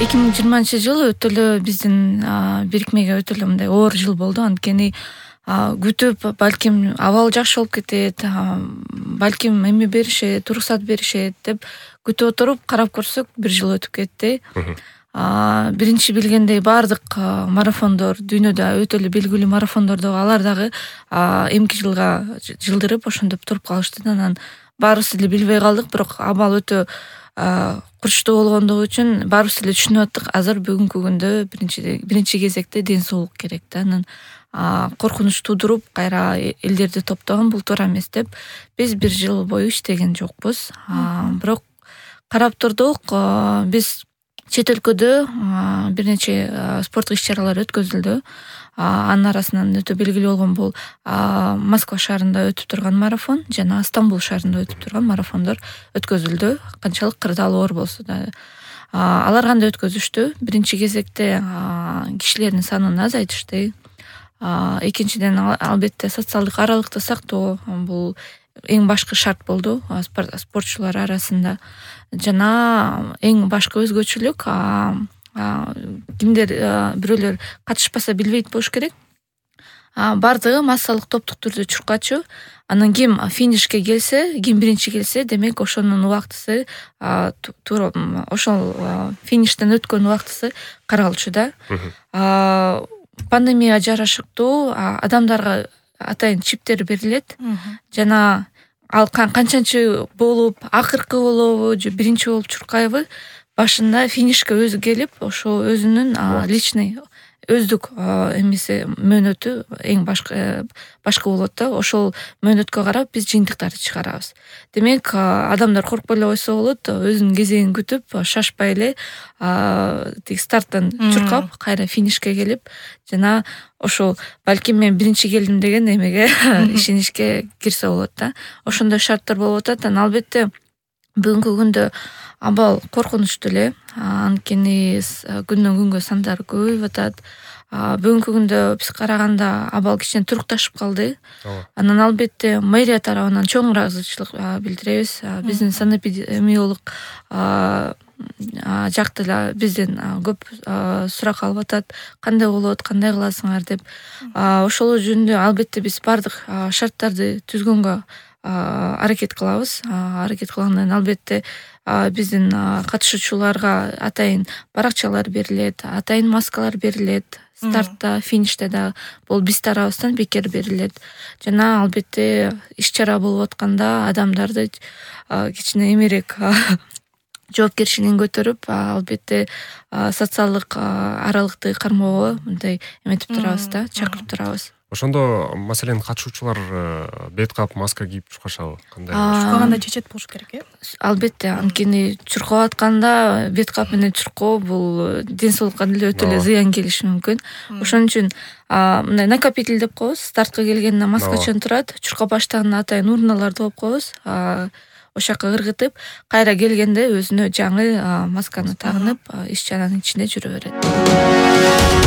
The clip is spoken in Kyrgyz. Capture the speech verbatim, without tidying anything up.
эки миң жыйырманчы жыл өтө эле биздин бирикмеге өтө эле мындай оор жыл болду. Анткени күтүп, балким абал жакшы болуп кетет, балким эме беришет, уруксат беришет деп күтүп отуруп карап көрсөк бир жыл өтүп кетти. Биринчи билгендей баардык марафондор дүйнөдө өтө эле белгилүү марафондор дагы алар дагы эмки жылга жылдырып ошондоп туруп калышты. Анан баарыбыз эле билбей калдык, бирок абал өтө курчтуу болгондугу үчүн баарыбыз эле түшүнүп аттык. Азыр бүгүнкү күндө биринчи биринчи кезекте ден соолук керек да. Анан коркунуч туудуруп кайра элдерди топтогон бул туура эмес деп биз бир жыл бою иштеген жокпуз. Бирок карап турдук, биз чет өлкөдө бир нече спорттук иш-чаралар өткөзүлдү. Анын арасынан өтө белгилүү болгон бул Москва шаарында өтүп турган марафон жана Стамбул шаарында өтүп турган марафондор өткөзүлдү. Канчалык кырдаал оор болсо да. Алар кандай өткөзүштү? Биринчи кезекте кишилердин санын азайтышты. Экинчиден, албетте, социалдык аралыкты сактоо бул эң башкы шарт болду спортчулар арасында. Жана эң башкы өзгөчөлүк, кимдер бирөөлөр катышпаса билбейт болуш керек. Бардыгы массалык топтук түрдө чуркачу. Анан ким финишке келсе, ким биринчи келсе, демек ошонун убактысы туура ошол фиништен өткөн убактысы каралчу да. Пандемияга жарашыктуу адамдарга атайын чиптер берилет. Жана ал канчанчы болуп, акыркы болобу же биринчи болуп чуркайбы, башында финишке өзү келип, ошо өзүнүн личный өздүк эмеси мөөнөтү эң башкы башкы болот да. Ошол мөөнөткө карап биз жыйынтыктарды чыгарабыз. Демек, адамдар коркпой эле койсо болот, өзүнүн кезегин күтүп, шашпай эле тиги старттан чуркап, кайра финишке келип, жана ошол балким мен биринчи келдим деген эмеге ишеничке кирсе болот да. Ошондой шарттар болуп атат. Анан албетте бүгүнкү күндө абал коркунучтуу эле, анткени күндөн күнгө сандары көбөйүп атат. Бүгүнкү күндө биз караганда абал кичине турукташып калды. Анан албетте мэрия тарабынан чоң ыраазычылык билдиребиз. Биздин санэпидемиолог жакты эле бизден көп сурак алып атат. Кандай болот, кандай кыласыңар деп. Ошол жөнүндө албетте биз бардык шарттарды түзгөнгө аракет кылабыз. Аракет кылгандан албетте биздин катышуучуларга атайын баракчалар берилет, атайын маскалар берилет. Стартта, финиште да бул биз тарабыбыздан бекер берилет. Жана албетте иш-чара болуп атканда адамдарды кичине эмерээк жоопкерчилигин көтөрүп, албетте социалдык аралыкты кармоого мындай эметип турабыз да, чакырып турабыз. Ошондо, маселен, катышуучулар бет кап, маска кийип чуркашабы? Кандай? Чуркаганда чечет болуш керек, э? Албетте, анткени чуркап атканда бет кап менен чуркоо бул ден соолукка деле өтө эле зыян келиши мүмкүн. Ошон үчүн мындай накопитель деп коебуз. Стартка келгенде маскачан турат, чуркап баштаганда атайын урналарды коюп коебуз. Ошол жака ыргытып, кайра келгенде өзүнө жаңы масканы тагынып, иш-чаранын ичинде жүрө берет.